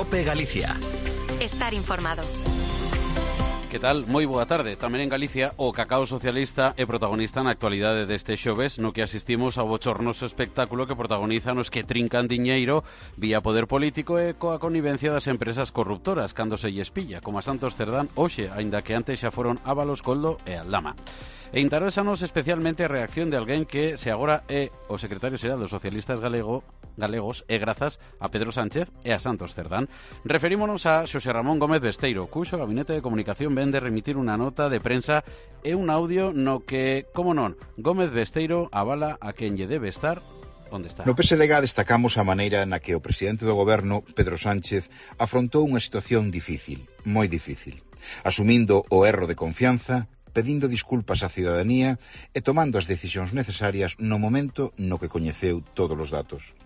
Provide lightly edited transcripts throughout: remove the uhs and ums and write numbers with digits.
COPE Galicia. Estar informado. Que tal? Moi boa tarde. Tamén en Galicia o cacao socialista é protagonista na actualidade deste xoves, no que asistimos ao bochornoso espectáculo que protagonizan os que trincan diñeiro vía poder político e coa connivencia das empresas corruptoras cando se lles pilla, como a Santos Cerdán hoxe, aínda que antes xa foron Ábalos, Coldo e Aldama. E interésanos especialmente a reacción de alguén que se agora é o secretario xeral dos socialistas galegos e grazas a Pedro Sánchez e a Santos Cerdán. Referímonos a Xosé Ramón Gómez Besteiro, cuxo gabinete de comunicación ven de remitir unha nota de prensa e un audio no que, como non, Gómez Besteiro avala a quen lle debe estar onde está. No PSDG destacamos a maneira na que o presidente do goberno, Pedro Sánchez, afrontou unha situación difícil, moi difícil, asumindo o erro de confianza, pedindo disculpas á cidadanía e tomando as decisións necesarias no momento no que coñeceu todos os datos.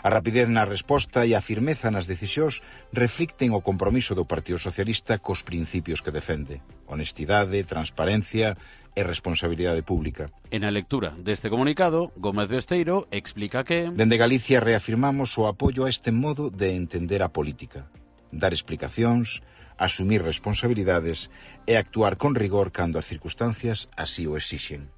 A rapidez na resposta e a firmeza nas decisións reflicten o compromiso do Partido Socialista cos principios que defende: honestidade, transparencia e responsabilidade pública. En a lectura deste comunicado, Gómez Besteiro explica que dende Galicia reafirmamos o apoio a este modo de entender a política, dar explicacións, asumir responsabilidades e actuar con rigor cando as circunstancias así o exixen.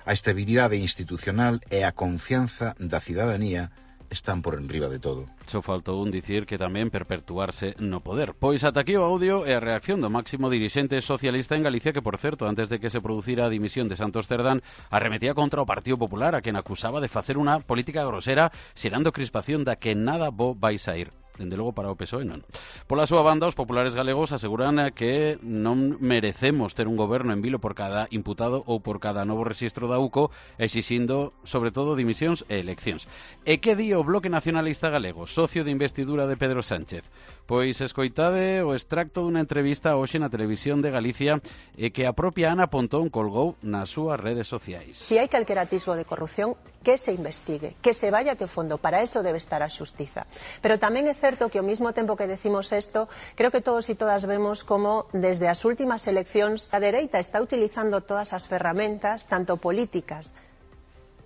A estabilidade institucional e a confianza da cidadanía están por enriba de todo. Só faltou un dicir que tamén perpetuarse no poder. Pois ata aquí o audio e a reacción do máximo dirixente socialista en Galicia que, por certo, antes de que se producira a dimisión de Santos Cerdán, arremetía contra o Partido Popular, a quen acusaba de facer unha política grosera xerando crispación da que nada bo vai sair. Dende logo para o PSOE non. Pola súa banda, os populares galegos aseguran que non merecemos ter un goberno en vilo por cada imputado ou por cada novo rexistro da UCO, exixindo, sobre todo, dimisións e eleccións. E que di o Bloque Nacionalista Galego, socio de investidura de Pedro Sánchez? Pois escoitade o extracto dunha entrevista hoxe na Televisión de Galicia e que a propia Ana Pontón colgou nas súas redes sociais. Si hai calquer atisbo de corrupción, que se investigue, que se vaya até o fondo, para eso debe estar a xustiza. Pero tamén é certo que ao mesmo tempo que decimos isto, creo que todos e todas vemos como desde as últimas eleccións a dereita está utilizando todas as ferramentas, tanto políticas,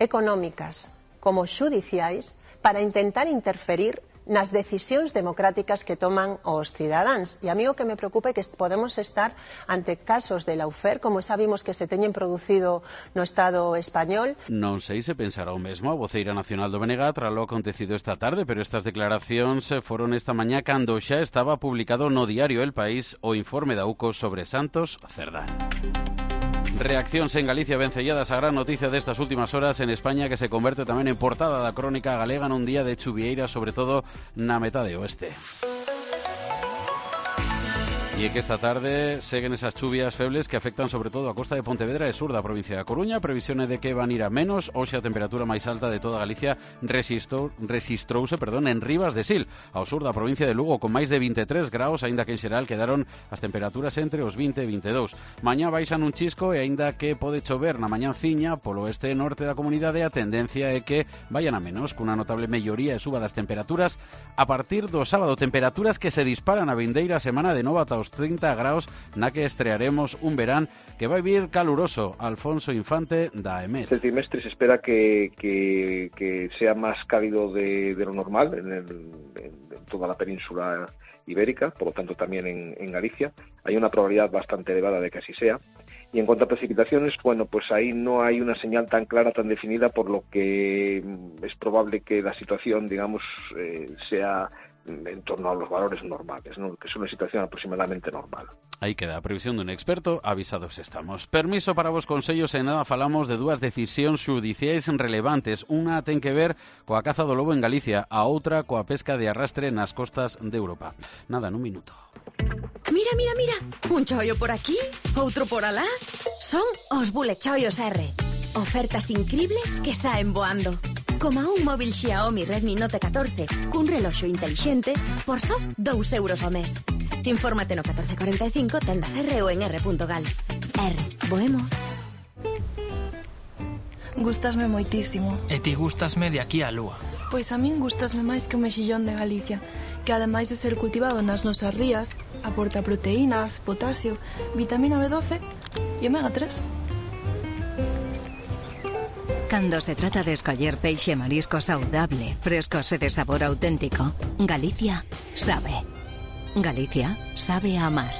económicas como xudiciais, para intentar interferir nas decisións democráticas que toman os cidadáns. E a mí o que me preocupa é que podemos estar ante casos de Lawfare, como sabimos que se teñen producido no Estado español. Non sei se pensará o mesmo a voceira nacional do BNG tras lo acontecido esta tarde, pero estas declaracións foron esta mañá cando xa estaba publicado no diario El País o informe da UCO sobre Santos Cerdán. Reaccións en Galicia vencelladas a gran noticia destas últimas horas en España, que se converte tamén en portada da crónica galega nun día de chuvieira, sobre todo na metade oeste. E é que esta tarde seguen esas chuvias febles que afectan sobre todo a costa de Pontevedra e sur da provincia da Coruña. Previsión é de que van ir a menos. Hoxe a temperatura máis alta de toda Galicia resistrouse en Rivas de Sil, ao sur da provincia de Lugo, con máis de 23 graus, aínda que en xeral quedaron as temperaturas entre os 20 e 22. Mañá baixan un chisco e aínda que pode chover na mañanciña polo oeste e norte da comunidade, a tendencia é que vayan a menos, cunha notable melloría e suba das temperaturas a partir do sábado. Temperaturas que se disparan a vindeira semana de novo ata os 30 graus, na que estrearemos un verán que vai vir caluroso. Alfonso Infante da EMET. Este trimestre se espera que sea más cálido de lo normal en toda la península ibérica, por lo tanto también en Galicia. Hay una probabilidad bastante elevada de que así sea. Y en cuanto a precipitaciones, bueno, pues ahí no hay una señal tan clara, tan definida, por lo que es probable que la situación, digamos, sea en torno a los valores normales, ¿no? Que es una situación aproximadamente normal. Aí queda a previsión dun experto, avisados estamos. Permiso para vos consellos, e nada falamos de dúas decisións xudiciais relevantes. Unha ten que ver coa caza do lobo en Galicia, a outra coa pesca de arrastre nas costas de Europa. Nada, nun minuto. Mira, mira, mira, un chollo por aquí, outro por alá. Son os bulechollos R. Ofertas incribles que saen voando. Como un móvil Xiaomi Redmi Note 14 cun reloxo intelixente por só 2 euros ao mes. Infórmate no 1445, tendas R ou en r.gal. R, boemos. Gústasme moitísimo. E ti gústasme de aquí á lúa. Pois a min gústasme máis que o mexillón de Galicia, que ademais de ser cultivado nas nosas rías, aporta proteínas, potasio, vitamina B12 e omega 3. Cando se trata de escoller peixe e marisco saudable, frescos e de sabor auténtico, Galicia sabe. Galicia sabe a amar.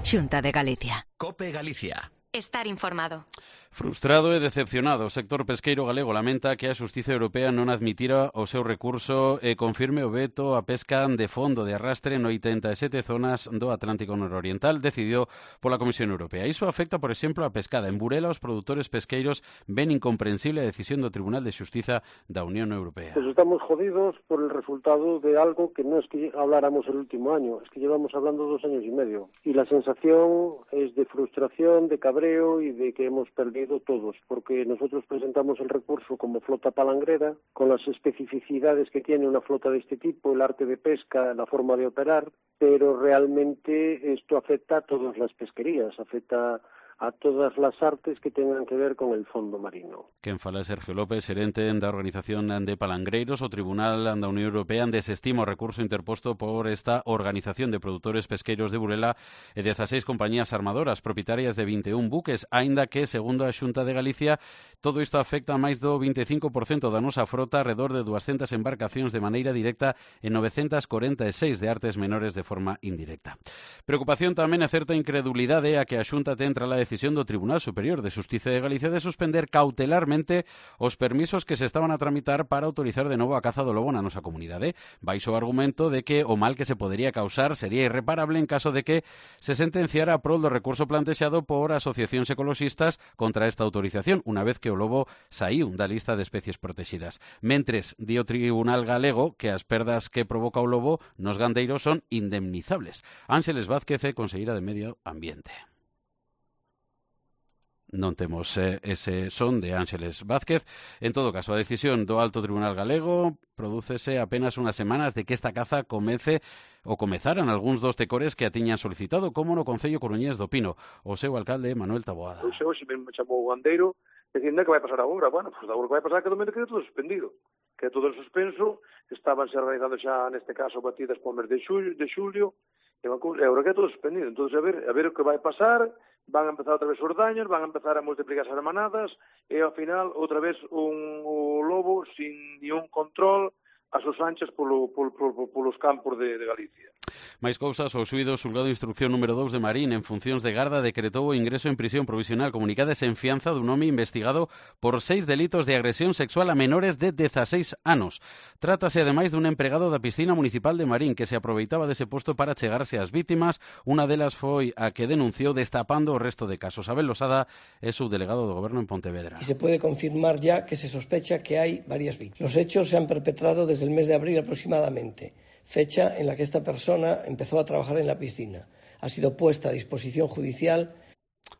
Xunta de Galicia. COPE Galicia. Estar informado. Frustrado e decepcionado, o sector pesqueiro galego lamenta que a Xustiza Europea non admitira o seu recurso e confirme o veto a pesca de fondo de arrastre en 87 zonas do Atlántico Nororiental decidido pola Comisión Europea. Iso afecta, por exemplo, a pescada. En Burela, os produtores pesqueiros ven incomprensible a decisión do Tribunal de Xustiza da Unión Europea. Pues estamos jodidos por el resultado de algo que no es que habláramos el último año, es que llevamos hablando 2 años y medio. Y la sensación es de frustración, de cabreo y de que hemos perdido todos, porque nosotros presentamos el recurso como flota palangrera, con las especificidades que tiene una flota de este tipo, el arte de pesca, la forma de operar, pero realmente esto afecta a todas las pesquerías, afecta a todas las artes que tengan que ver con el fondo marino. Quen fala é Sergio López, xerente da Organización de Palangreiros. O Tribunal da Unión Europea desestima o recurso interposto por esta Organización de Produtores Pesqueiros de Burela e 16 compañías armadoras propietarias de 21 buques, aínda que, segundo a Xunta de Galicia, todo isto afecta a máis do 25% da nosa frota, alrededor de 200 embarcacións de maneira directa e 946 de artes menores de forma indirecta. Preocupación tamén e certa incredulidade a que a Xunta ten tras a decisión do Tribunal Superior de Xustiza de Galicia de suspender cautelarmente os permisos que se estaban a tramitar para autorizar de novo a caza do lobo na nosa comunidade, baixo o argumento de que o mal que se podería causar sería irreparable en caso de que se sentenciara a prol do recurso plantexado por asociacións ecoloxistas contra esta autorización, unha vez que o lobo saíu da lista de especies protegidas. Mentres, di o Tribunal galego que as perdas que provoca o lobo nos gandeiros son indemnizables. Ángeles Vázquez é conselleira de Medio Ambiente. Non temos ese son de Ángeles Vázquez. En todo caso, a decisión do Alto Tribunal Galego prodúcese apenas unhas semanas de que esta caza comezaran algúns dos tecores que a tiñan solicitado, como no Concello Coruñés do Pino. O seu alcalde, Manuel Taboada. Hoxe mesmo me chamou o gandeiro dicindo que vai pasar agora. Bueno, pues agora que vai pasar que do momento quede todo suspendido. Que todo suspenso, estabanse realizando xa neste caso batidas por mes de xulio, e agora que é todo suspendido. Entón, a ver o que vai pasar. Van a empezar outra vez os daños, van a empezar a multiplicarse as manadas e ao final outra vez un lobo sin ni un control a sus anchas polos campos de Galicia. Mais cousas, o xuído xulgado de instrucción número 2 de Marín en funcións de garda decretou o ingreso en prisión provisional comunicada e sen fianza dun home investigado por 6 delitos de agresión sexual a menores de 16 anos. Trátase ademais dun empregado da piscina municipal de Marín que se aproveitaba dese posto para chegarse ás vítimas. Unha delas foi a que denunciou destapando o resto de casos. Abel Losada é subdelegado do Goberno en Pontevedra. Y se puede confirmar ya que se sospecha que hay varias víctimas. Los hechos se han perpetrado desde el mes de abril aproximadamente, fecha en la que esta persona empezó a trabajar en la piscina. Ha sido puesta a disposición judicial.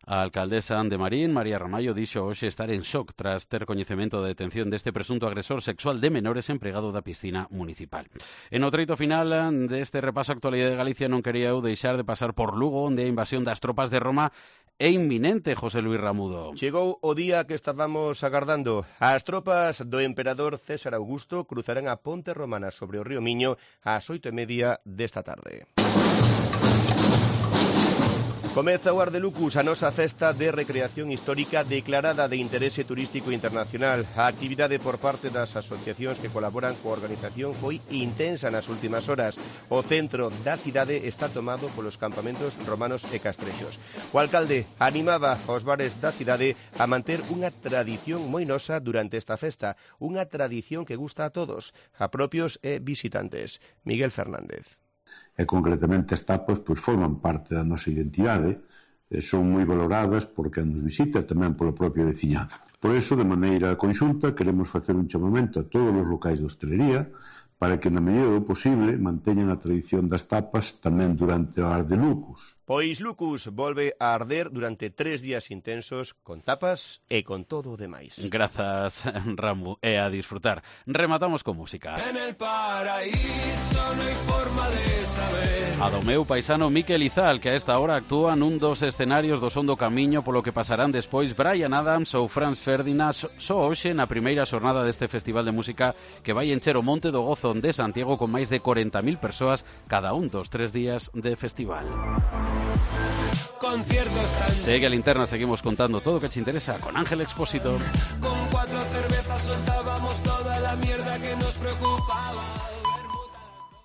A alcaldesa de Marín, María Ramallo, dixo hoxe estar en shock tras ter coñecemento da detención deste presunto agresor sexual de menores empregado da piscina municipal. En o treito final deste repaso a actualidade de Galicia non quería eu deixar de pasar por Lugo, onde a invasión das tropas de Roma é inminente, José Luis Ramudo. Chegou o día que estábamos agardando. As tropas do emperador César Augusto cruzarán a ponte romana sobre o río Miño ás 8:30 desta tarde. Comeza o Ardelucus, a nosa festa de recreación histórica declarada de interese turístico internacional. A actividade por parte das asociacións que colaboran coa organización foi intensa nas últimas horas. O centro da cidade está tomado polos campamentos romanos e castrellos. O alcalde animaba aos bares da cidade a manter unha tradición moi nosa durante esta festa, unha tradición que gusta a todos, a propios e visitantes. Miguel Fernández. E concretamente as tapas forman parte da nosa identidade, son moi valoradas por quen nos visita e tamén polo propio veciñado. Por eso, de maneira conxunta, queremos facer un chamamento a todos os locais de hostelería para que, na medida do posible, manteñan a tradición das tapas tamén durante o Ardelucus. Pois Lucus volve a arder durante 3 días intensos con tapas e con todo o demais. Grazas, Ramu, e a disfrutar. Rematamos con música. En el paraíso no hai forma de saber. A do meu paisano Miquel Izal, que a esta hora actúa nun dos escenarios do Son do Camiño, polo que pasarán despois Bryan Adams ou Franz Ferdinand, só hoxe na primeira xornada deste festival de música que vai encher o Monte do Gozo de Santiago con máis de 40.000 persoas cada un dos 3 días de festival. conciertos tan... Segue a Linterna, seguimos contando todo lo que te interesa con Ángel Expósito. Con 4 cervezas soltábamos toda la mierda que nos preocupaba.